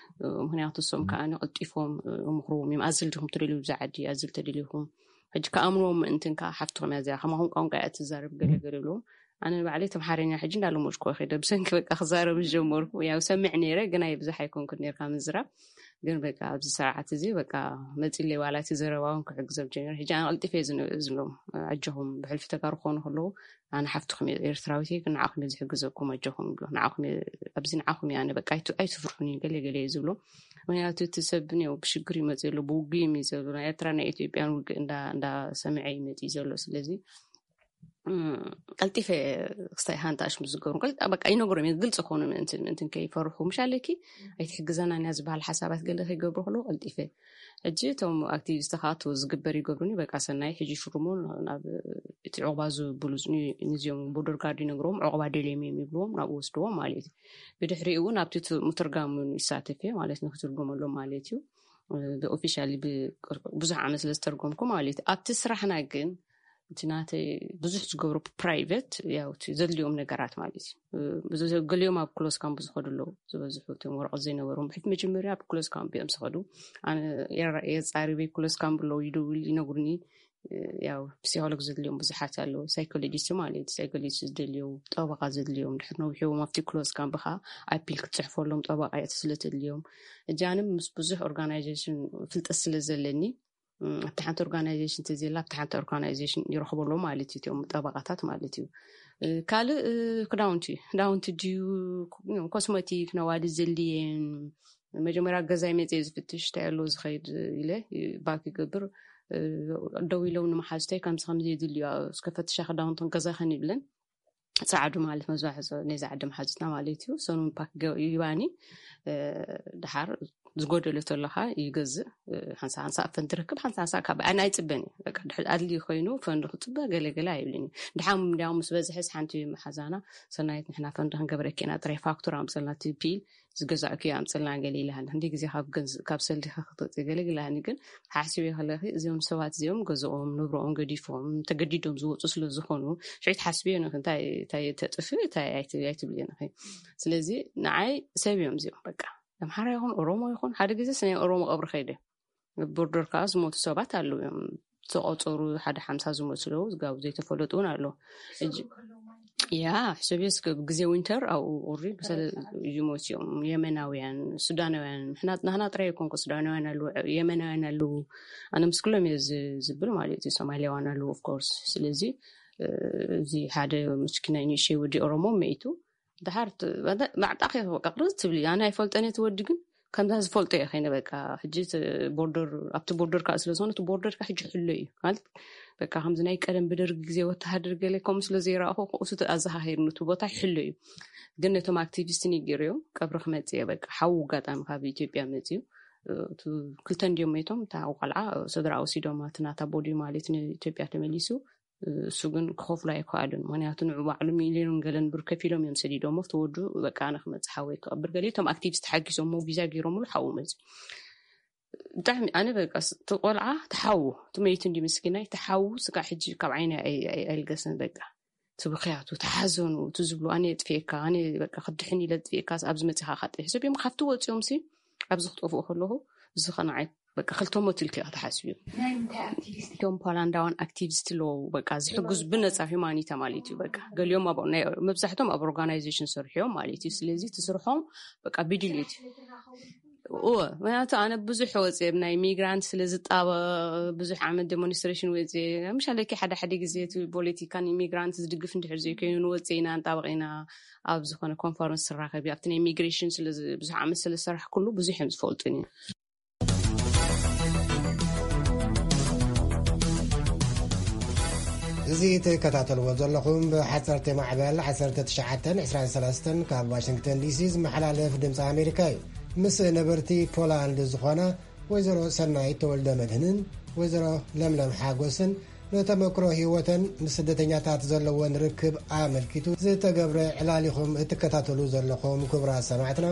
ምክንያቱ እሶም ከዓ ቀልጢፎም ምኽርዎም እዮም። ኣዝል ዲኹም ትደልዩ ብዛ ዓዲ ኣዝል ተደሊኹም ሕጂ ከኣምንዎም ምእንትን ከዓ ሓፍትኹም እያ እዚኣ ከማኹም ቋንቋ እያ ትዛረብ ገለ ገለ ይብልዎም ኣነ ንባዕለይ ተምሓረኛ ሕጂ እንዳለመድኩ ከይደ ብሰንኪ በቃ ክዛረብ ዝጀመርኩ ያው ሰምዕ ነይረ ግን ኣይ ብዙሕ ኣይኮንኩ ነርካ ምዝራብ ግን በቃ ኣብዚ ሰዓት እዚ በቃ መፂለይ ዋላ እቲ ዘረባውን ክሕግዞም ጀሚረ ሕጂ ኣነ ቀልጢፈ ዝብሎም ኣጆኹም ብሕልፊ ተጋሩ ክኾኑ ከለዉ ኣነ ሓፍትኹም ኤርትራዊት ግን ንዓኹም ዝሕግዘኩም ኣጆኹም ይብሎ ንዓኹም ኣብዚ ንዓኹም እየ ኣነ በቃ ኣይትፍርሑኒ ገለ ገለ እዩ ዝብሎ ምክንያቱ እቲ ሰብ ብሽግር ይመፅ ዘሎ ብውግእ እዩ ዘሎ ናይ ኤርትራ ናይ ኢትዮጵያን ውግእ እንዳሰምዐ ይመፅ ዘሎ ስለዚ ቀልጢፈ ክስታይ ሃንጣሽ ምስ ዝገብሩ በቃ ይነግሮም እየ ግልፂ ክኾኑ ምእንትን ምእንትን ከይፈርሑ ምሽ ኣለኪ ኣይትሕግዘናን እያ ዝበሃል ሓሳባት ገለ ከይገብሩ ከለዉ ቀልጢፈ ሕጂ እቶም ኣክቲቪስት ከዓ ዝግበር ይገብሩኒ በቃ ሰናይ ሕጂ ሽሩሙ ናብ እቲ ዕቑባ ዝብሉ ንዚኦም ቦርደር ጋርድ ይነግርዎም ዕቑባ ደልዮም እዮም ይብልዎም ናብኡ ወስድዎም ማለት እዩ ብድሕሪኡ እውን ኣብቲ ምትርጋም ይሳተፍ እየ ማለት ንክትርጉመሎም ማለት እዩ ብኦፊሻሊ ብዙሕ ዓመት ስለ ዝተርጎምኩ ማለት እዩ ኣብቲ ስራሕና ግን እቲ ናተይ ብዙሕ ዝገብሮ ፕራይቬት፣ ያው እቲ ዘድልዮም ነገራት ማለት እዩ። ብዙ ገሊኦም ኣብ ክሎዝ ካምፕ ዝኸዱ ኣለዉ፣ ዝበዝሑ እቶም ወረቐት ዘይነበሮም ብሕት መጀመርያ ኣብ ክሎዝ ካምፕ እዮም ዝኸዱ። ኣነ የጻሪበይ ክሎዝ ካምፕ ኣለዉ፣ ይደውል ይነግሩኒ። ያው ፕሲኮሎግ ዘድልዮም ብዙሓት ኣለዉ፣ ሳይኮሎጂስት ማለት እዩ። ሳይኮሎጂስት ዝደልዮም፣ ጠበቓ ዘድልዮም፣ ድሕር ነዊሕዎም ኣብቲ ክሎዝ ካምፕ ከዓ ኣፒል ክትፅሕፈሎም ጠበቓ እያ ስለ ተድልዮም። እጃንም ምስ ብዙሕ ኦርጋናይዜሽን ፍልጠት ስለ ዘለኒ፣ ኣብቲ ሓንቲ ኦርጋናይዜሽን ተዘላ ኣብቲ ሓንቲ ኦርጋናይዜሽን ይረኽበሎ ማለት እዩ፣ እቲኦም ጠበቓታት ማለት እዩ። ካልእ ክዳውንቲ ክዳውንቲ ድዩ፣ ኮስሞቲክ ነዋዲ ዘድልየን፣ መጀመርያ ገዛይ መፅየ ዝፍትሽ እንታይ ኣሎ ዝኸይድ ኢለ ባክ ይገብር። ደው ኢለው ንመሓዝተይ ከምዚ ከምዚ የድልዩ፣ እስከ ፈትሻ ክዳውንትን ገዛኸን ይብለን። ፃዕዱ ማለት መዛሕዞ ነዛ ዓዲ መሓዝትና ማለት እዩ። ሰኑን ፓክ ይባኒ። ድሓር ዝጎደሎ ተለካ ይገዝእ። ሓንሳ ሓንሳ ፈንድ ትረክብ፣ ሓንሳ ሓንሳ ካብ ኣነ ኣይፅበን እዩ። ኣድሊ ኮይኑ ፈንድ ክፅበ ገለገለ ኣይብልን እዩ። ድሓም እንዲያው ምስ በዝሕስ ሓንቲ መሓዛና ሰናይት ንሕና ፈንድ ክንገብረኪ ኢና፣ ጥራይ ፋክቱር ኣምፀልና፣ ፒል ዝገዛእኩ ኣምፀልና ገለ ኢላሃን። ክንደይ ግዜ ካብ ገንዝ ካብ ሰልዲካ ክትወፅእ ገለ ኢላሃኒ። ግን ሓስብዮ ከለኺ እዚኦም ሰባት እዚኦም ገዝኦም ንብረኦም ገዲፎም ተገዲዶም ዝወፁ ስለ ዝኾኑ ሽዑ ትሓስብዮ ነኺ፣ እንታይ እንታይ ተጥፍ እንታይ ኣይትብልዮ ነኺ። ስለዚ ንዓይ ሰብ እዮም እዚኦም በቃ። ኣምሓራ ይኹን ኦሮሞ ይኹን ሓደ ግዜ ናይ ኦሮሞ ቀብሪ ከይደ ቦርደር ከዓ ዝሞቱ ሰባት ኣለዉ እዮም። ዝተቆፀሩ ሓደ ሓምሳ ዝመስሉ ጋብ ዘይተፈለጡ እውን ኣሎ። ያ ሕሰብ እስከ ግዜ ዊንተር ኣብኡ ቁሪ ይሞት እዮም። የመናውያን፣ ሱዳናውያን፣ ናህና ጥራይ ይኮንኩ፣ ሱዳናውያን ኣለዉ፣ የመናውያን ኣለዉ። ኣነ ምስ ኩሎም እየ ዝብል ማለት እዩ። ሶማሊያውያን ኣለዉ ኦፍኮርስ። ስለዚ እዚ ሓደ ምስኪናይ ንእሽተይ ወዲ ኦሮሞ መይቱ ድሓር ማዕጣ ከ በቃ ቅርዝ ትብሊ። ኣነ ኣይፈልጠን እቲ ወዲ ግን ከምዛ ዝፈልጦ እየ ከይነ በቃ ሕጂ ቦርደር ኣብቲ ቦርደር ከዓ ስለዝኾነ እቲ ቦርደር ከዓ ሕጂ ሕሎ እዩ ማለት በቃ ከምዚ ናይ ቀደም ብደርጊ ግዜ ወተሃደር ገለ ከምኡ ስለ ዘይረኣኹ ክኡሱ ኣዘኻኺርኒ እቲ ቦታ ይሕሎ እዩ። ግን ነቶም ኣክቲቪስት ንገርዮም ቀብሪ ክመፅእ እየ በቃ ሓዉ ኣጋጣሚ ካብ ኢትዮጵያ መፅዩ። ክልተ እንዲዮም መይቶም እታ ቆልዓ ስድራ ወሲዶም እቲ ናታ ቦዲ ማለት ንኢትዮጵያ ተመሊሱ። እሱ ግን ክኸፍሉ ኣይከኣሉን። ምክንያቱ ንዑ ባዕሉ ሚልዮን ገለን ብር ከፊሎም እዮም ሰዲዶሞ። እቲ ወዱ በቃ ኣነ ክመፅእ ሓወይ ክቐብር ገለ እቶም ኣክቲቪስት ሓጊዞሞ ቪዛ ገይሮምሉ ሓዉ መፅዩ። ብጣዕሚ ኣነ በቃ እቲ ቆልዓ ተሓዉ ትመይቱ እንዲ ምስኪናይ ተሓዉ ስጋ ሕጂ ካብ ዓይነ ኣይልገስን በቃ ትብክያቱ ተሓዘኑ እቲ ዝብሉ ኣነ የጥፍኤካ ኣነ በቃ ክድሕን ኢለ ጥፍኤካ ኣብዚ መፅኻ ካጥፊ ሰብ እዮም ካብቲ ወፂኦም ሲ ኣብዚ ክጠፍኡ ከለኹ እዚ ከነዓይ በቃ ክልተ ሞት ኢልኪ ኢኻ ትሓስብዮ። ናይ ምንታይ ኣክቲቪስት? እቶም ፖላንዳውያን ኣክቲቪስት ኣለዉ በቃ ዝሕግዙ ብነፃ ሂማኒታ ማለት እዩ። በቃ ገሊኦም ኣብ ናይ መብዛሕቶም ኣብ ኦርጋናይዜሽን ሰርሑ እዮም ማለት እዩ። ስለዚ እቲ ስርሖም በቃ ብድልየት እዎ ምክንያቱ ኣነ ብዙሕ ወፅየ ናይ ሚግራንት ስለ ዝጣበ ብዙሕ ዓመት ዴሞንስትሬሽን ወፅየ ምሻለኪ ሓደ ሓደ ግዜ እቲ ፖለቲካን ኢሚግራንት ዝድግፍ እንድሕር ዘይኮይኑ ንወፅእ ኢና ንጣበቕ ኢና ኣብ ዝኾነ ኮንፈረንስ ትራኸቢ ኣብቲ ናይ ኢሚግሬሽን ብዙሕ ዓመት ስለ ዝሰራሕ ኩሉ ብዙሕ እዮም ዝፈልጡን እዩ። እዚ ትከታተልዎ ዘለኹም ብሓፀርቲ ማዕበል ዓሰርተ ትሽዓተን ዕስራን ሰለስተን ካብ ዋሽንግተን ዲሲ ዝመሓላለፍ ድምፂ ኣሜሪካ እዩ። ምስ ነበርቲ ፖላንድ ዝኾና ወይዘሮ ሰናይት ተወልደ መድህንን ወይዘሮ ለምለም ሓጎስን ንተመክሮ ህይወተን ምስ ስደተኛታት ዘለወን ርክብ ኣመልኪቱ ዝተገብረ ዕላል ኢኹም እትከታተሉ ዘለኹም። ክቡራት ሰማዕትና፣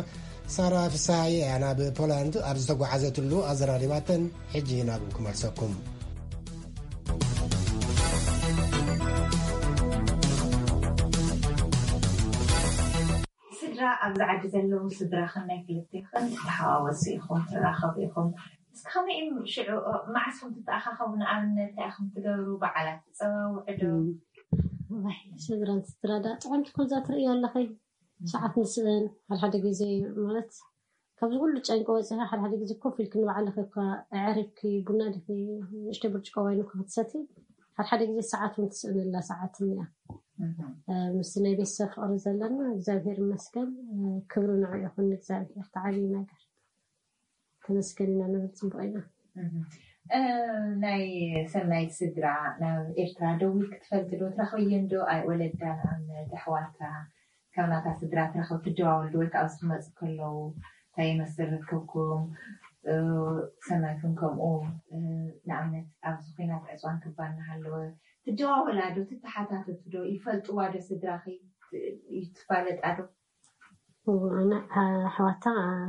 ሳራ ፍስሃየ እያ ናብ ፖላንድ ኣብ ዝተጓዓዘትሉ ኣዘራሪባተን። ሕጂ ናብኡ ክመልሰኩም። ስድራ ኣብዚ ዓዲ ዘለዉ ስድራኽን ናይ ክልቴኽን ትተሓዋወሱ ኢኹም፣ ትራኸቡ ኢኹም። እስኪ ከመይ እዩ ሽዑ፣ መዓስ ኢኹም ትተኣኻኸቡ? ንኣብነት እንታይ ኢኹም ትገብሩ? በዓላት ትጸዋውዑ ዶ? እም። ዋይ፣ ስድራን ስድራ ዳ ጥዕምቲ ኩሉ እዛ ትርእዮ ኣለኺ። ሰዓት ንስእን፣ ሓደ ሓደ ግዜ ማለት ካብዚ ኩሉ ጨንቂ ወጺኻ ሓደ ሓደ ግዜ ኮፍ ኢልኪ ንባዕልኺ እኳ ኣዕሪፍኪ ቡና ዲኺ ንእሽተይ ብርጭቆ ዋይን እኳ ክትሰቲ ሓደ ሓደ ግዜ ሰዓት እውን ትስእነላ ሰዓት እኒኣ። እህ። እ፣ ምስቲ ናይ ቤተሰብ ፍቕሪ ዘለና እግዚኣብሔር ይመስገን። እ፣ ክብሪ ንዑ ይኹን ንእግዚኣብሔር። እቲ ዓብዪ ነገር ተመስገን ኢና ንብል። ጽቡቕ ኢና። እህ። እ፣ ናይ ሰናይት ስድራ ናብ ኤርትራ ደዊልኪ ትፈልጢ ዶ? ትረኽብየን ዶ? ኣይ፣ ወለዳ ንኣብነት ኣሕዋታ ካብ ናታ ስድራ ትረኽቢ ትደዋወሉ ዶ? ወይ ከዓ ኣብዚ ክመፁ ከለዉ እንታይ ይመስል ርክብኩም? እ፣ ሰናይት እውን ከምኡ፣ እ፣ ንኣብነት ኣብዚ ኲናት ዕፅዋን ክባን እናሃለወ ትደዋወላ ዶ? ትተሓታተቱ ዶ? ይፈልጥዋ ዶ ስድራኺ? ት-፣ ትፋለጣ ዶ? እዎ፣ ኣነ ኣሕዋታ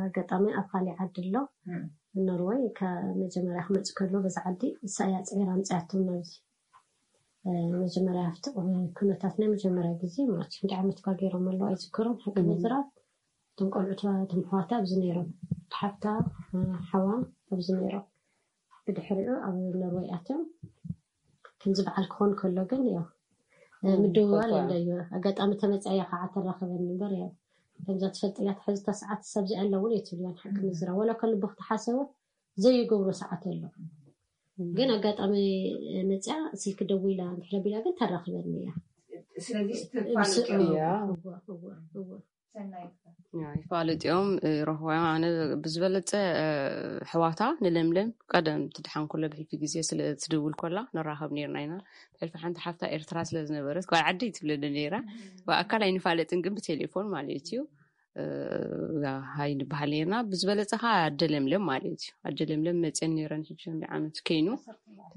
ኣጋጣሚ ኣብ ካሊእ ዓዲ ኣሎ፣ እም። ኖርወይ፣ ካብ መጀመርያ ክመፅእ ከሎ በዛ ዓዲ እሳ እያ ፅዒራ ኣምፅኣቶም ናብዚ። መጀመርያ ኣብቲ ኩነታት ናይ መጀመርያ ግዜ ማለት ክንደይ ዓመት ኳ ገይሮም ኣለዉ ኣይዝክሮም ሓቂ ምዝራብ። እቶም ቆልዑ እቶም ኣሕዋታ ኣብዚ ነይሮም፣ ሓፍታ ሓዋ ኣብዚ ነይሮም። ብድሕሪኡ ኣብ ኖርወይ ኣትዮም። ከምዚ በዓል ክኾን ከሎ ግን ያው ምድውዋል ኣለዩ። ኣጋጣሚ ተመፅያ ከዓ ተራኸበኒ እምበር ያው ከምዛ ትፈልጥያ ትሕዝታ ሰዓት ሰብ ዚኣ ኣለውን እየ ትብልያን ሓቂ ምዝራ ወላ ከልቦ ክትሓሰቡ ዘይገብሮ ሰዓት ኣሎ። ግን ኣጋጣሚ መፅያ ስልኪ ደዊላ እንድሕረ ቢላ ግን ተራኽበኒ እያ። ስለዚ ይፋለጥ እዮም። ይፋለጥ እዮም፣ ይረኽቦ እዮም። ኣነ ብዝበለፀ ኣሕዋታ ንለምለም ቀደም ትድሓን ከሎ ብሕልፊ ግዜ ስለ ትድውል ከላ ንራኸብ ነርና ኢና። ብሕልፊ ሓንቲ ሓፍታ ኤርትራ ስለ ዝነበረት ጓል ዓደይ ትብለኒ ነይራ። ብኣካል ኣይንፋለጥን ግን ብቴሌፎን ማለት እዩ። ሃይ ንበሃል ነርና። ብዝበለፀ ከዓ ኣደ ለምለም ማለት እዩ። ኣደ ለምለም መፅየን ነይረን ሕጂ ክንደይ ዓመት ከይኑ።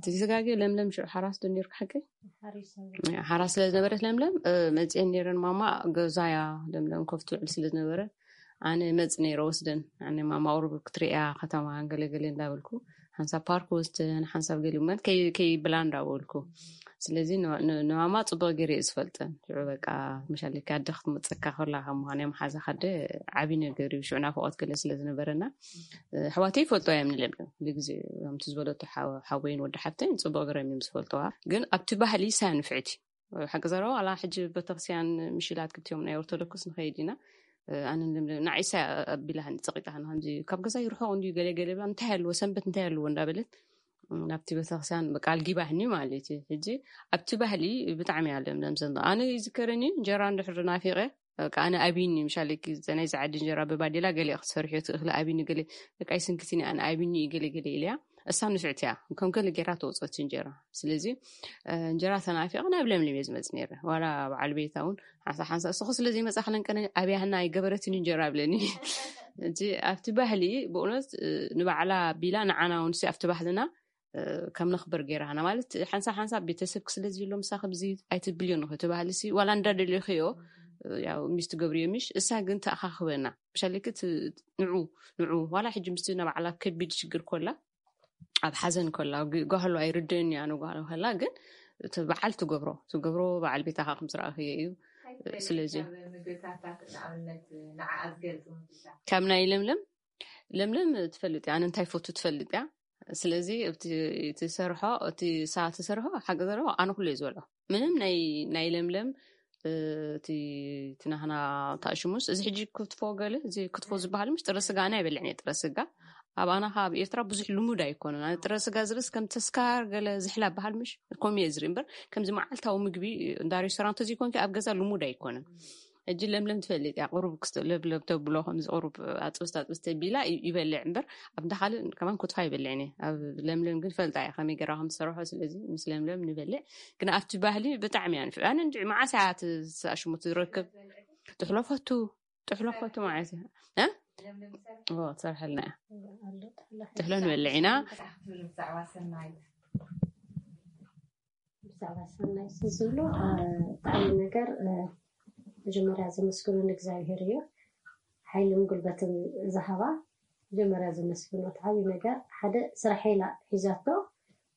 ተዘይተጋግየ ለምለም ሽዑ ሓራስ ዶ ነርካ ሓቀይ? ሓራስ ስለ ዝነበረት ለምለም መፅየን ነይረን። ማማ ገዛያ ለምለም ኮፍ ትውዕል ስለ ዝነበረ ኣነ መፅ ነይረ ወስደን። ኣነ ማማ ቁሩብ ክትርእያ ከተማ ገለገለ እንዳበልኩ ሓንሳብ ፓርክ ወስደን ሓንሳብ ገሊመን ከይብላ እንዳበልኩ። ስለዚ ንማማ ፅቡቅ ገይረ እየ ዝፈልጠን። ሽዑ በቃ መሻለኪ ኣደ ክትመፀካ ከላ ካብ ምኳን እያ መሓዛ ካደ ዓብዪ ነገር እዩ። ሽዑ ናፍቆት ገለ ስለ ዝነበረና ኣሕዋተይ ይፈልጦ እዮም ንለምለም። ግዜ ከምቲ ዝበለቶ ሓወይን ወዲ ሓፍተይን ፅቡቅ ገረም እዮም ዝፈልጠዋ። ግን ኣብቲ ባህሊ ሳያ ንፍዕቲ ሓቂ ዘረባ ዋላ ሕጂ ቤተክርስትያን ምሽላት ክልቲኦም ናይ ኦርቶዶክስ ንኸይድ ኢና። ኣነ ንዓይሳ ኣቢላህኒ ፀቂጣህኒ ከምዚ ካብ ገዛ ይርሕቕ እንዲዩ ገለ ገለ ብላ እንታይ ኣለዎ ሰንበት እንታይ ኣለዎ እንዳበለት ናብቲ ቤተክርስትያን ቃል ጊባህኒ ማለት እዩ። ሕጂ ኣብቲ ባህሊ ብጣዕሚ እያ ለምለም ዘንዶ ኣነ ይዝከረኒ እንጀራ እንድሕር ናፊቐ በቃ ኣነ ኣቢኒ ምሻለኪ ናይዚ ዓዲ እንጀራ ብባዴላ ገለ ክትሰርሕዮ ትእኽሊ ኣቢኒ ገለ በቃ ይስንክትኒ ኣነ ኣቢኒ እዩ ገለ ገለ ኢለያ። እሳ ንፍዕቲ እያ ከም ገለ ጌራ ተወፅኦ እቲ እንጀራ። ስለዚ እንጀራ ተናፊቐ ናብ ለምለም እየ ዝመፅ ነይረ። ዋላ በዓል ቤታ እውን ሓንሳ ሓንሳ እስኹ ስለ ዘይመፃ ክለንቀነ ኣብያህና ኣይገበረትን እንጀራ ብለኒ። እቲ ኣብቲ ባህሊ ብእውነት ንባዕላ ቢላ ንዓና እውን ኣብቲ ባህልና ከም ነኽብር ገይራና ማለት ሓንሳብ ሓንሳብ ቤተሰብኪ ስለ ዝህሎ ምሳኺ ብዚ ኣይትብልዮ ንኽዮ እቲ ባህሊ ሲ ዋላ እንዳደለኽዮ ያው ሚስት ገብርዮ ምሽ እሳ ግን ተኣኻኽበና ብሻለኪ ንዑ ንዑ ዋላ ሕጂ ምስቲ ናባዕላ ከቢድ ሽግር ኮላ ኣብ ሓዘን ኮላ ጓህሎ ኣይርድእን እያ ንጓህሎ ከላ ግን እቲ በዓል ትገብሮ ትገብሮ በዓል ቤታኻ ከም ዝረኣኽዮ እዩ። ስለዚ ካብ ናይ ለምለም ለምለም ትፈልጥ እያ ኣነ እንታይ ፈቱ ትፈልጥ እያ። ስለዚ እቲ ትሰርሖ እቲ ሳ ትሰርሖ ሓቂ ዘረባ ኣነ ኩሉ እየ ዝበልዖ ምንም ናይ ናይ ለምለም እቲ ትናህና ታእሽሙስ እዚ ሕጂ ክትፎ ገለ እዚ ክትፎ ዝበሃል ምሽ ጥረ ስጋ ኣነ ኣይበልዕን እየ ጥረ ስጋ ኣብ ኣና ካብ ኤርትራ ብዙሕ ልሙድ ኣይኮነን ኣነ ጥረ ስጋ ዝብስ ከም ተስካር ገለ ዝሕላ በሃል ምሽ ከምኡ እየ ዝርኢ እምበር ከምዚ መዓልታዊ ምግቢ እንዳ ሬስቶራንት ተዘይኮንኪ ኣብ ገዛ ልሙድ ኣይኮነን። ሕጂ ለምለም ትፈልጥ እያ ቁሩብ ክስተ ለብለብ ተብሎ ከምዚ ቁሩብ ኣጥብስቲ ኣጥብስቲ ቢላ ይበልዕ እምበር ኣብታ ካልእ ከማን ክትፋ ይበልዕኒ ኣብ ለምለም ግን ፈልጣ እያ ከመይ ገራ ከም ዝሰርሖ ስለዚ ምስ ለምለም ንበልዕ ግን ኣብቲ ባህሊ ብጣዕሚ እያ ንፍዕ ኣነ እንጂ መዓስ እያ ትኣሽሙ ትረክብ ጥሕሎ ፈቱ ጥሕሎ ፈቱ ማለት እያ ትሰርሐልና እያ ጥሕሎ ንበልዕ ኢና። ብዛዕባ ሰናይ ዝብሎ ብጣዕሚ ነገር መጀመርያ ዘመስግኖ ንእግዚኣብሔር እዩ። ሓይልን ጉልበትን ዝሃባ መጀመርያ ዘመስግኖ ዓብዪ ነገር ሓደ ስራሕ ኢላ ሒዛቶ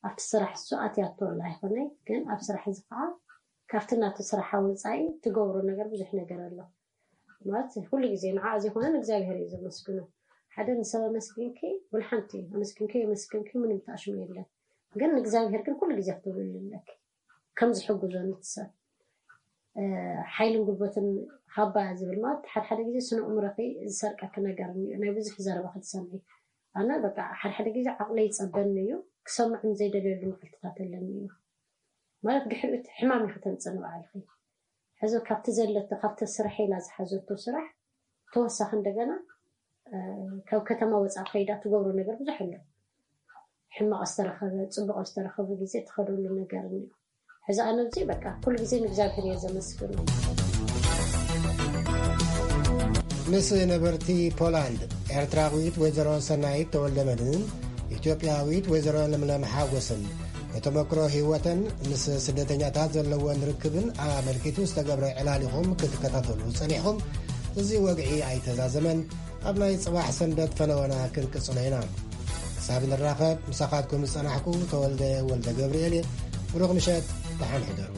ኣብቲ ስራሕ እሱ ኣትያቶ ኣላ ይኮነይ ግን ኣብ ስራሕ እዚ ከዓ ካብቲ ናቱ ስራሓ ወፃኢ ትገብሮ ነገር ብዙሕ ነገር ኣሎ። ማለት ኩሉ ግዜ ንዓ ዘይኮነ ንእግዚኣብሔር እዩ ዘመስግኖ። ሓደ ንሰብ ኣመስግንኪ ወላ ሓንቲ ኣመስግንኪ የመስግንኪ ምንም ተኣሽሙ የለን። ግን ንእግዚኣብሔር ግን ኩሉ ግዜ ክትብልሉ ኣለኪ። ከም ዝሕግዞ ንትሰብ ሓይልን ጉልበትን ሃባ ዝብል ማለት ሓደ ሓደ ግዜ ስነ ኣእምሮኺ ዝሰርቀኪ ነገር እኒኦ ናይ ብዙሕ ዘረባ ክትሰምዒ ኣነ በቃ ሓደ ሓደ ግዜ ዓቕለይ ይፀበኒ እዩ ክሰምዖም ዘይደልየሉ መዓልትታት ኣለኒ እዩ ማለት ድሕሪኡ ሕማም ኢኺ ተምፅእ ንባዕልኺ ሕዚ ካብቲ ዘለቶ ካብቲ ስራሕ ኢላ ዝሓዘቶ ስራሕ ተወሳኺ እንደገና ካብ ከተማ ወፃእ ከይዳ ትገብሮ ነገር ብዙሕ ኣሎ ሕማቕ ዝተረኸበ ፅቡቕ ዝተረኸበ ግዜ ትኸደሉ ነገር እኒኦ ሕዚ ኣነ እዚ በቃ ኩሉ ግዜ ንእግዚኣብሔር እየ ዘመስግኖ ምስ ነበርቲ ፖላንድ ኤርትራዊት ወይዘሮ ሰናይት ተወልደ መድህን ኢትዮጵያዊት ወይዘሮ ለምለም ሓጎስን ንተመክሮ ህይወተን ምስ ስደተኛታት ዘለወን ርክብን ኣመልኪቱ ዝተገብረ ዕላሊኹም ክትከታተሉ ጸኒሕኹም እዚ ወግዒ ኣይተዛዘመን። ኣብ ናይ ጽባሕ ሰንበት ፈነወና ክንቅጽሎ ኢና። ክሳብ ንራኸብ ምሳኻትኩም ዝጸናሕኩ ተወልደ ወልደ ገብርኤል እየ። ብሩኽ ምሸት። ደሓን ሕደሩ።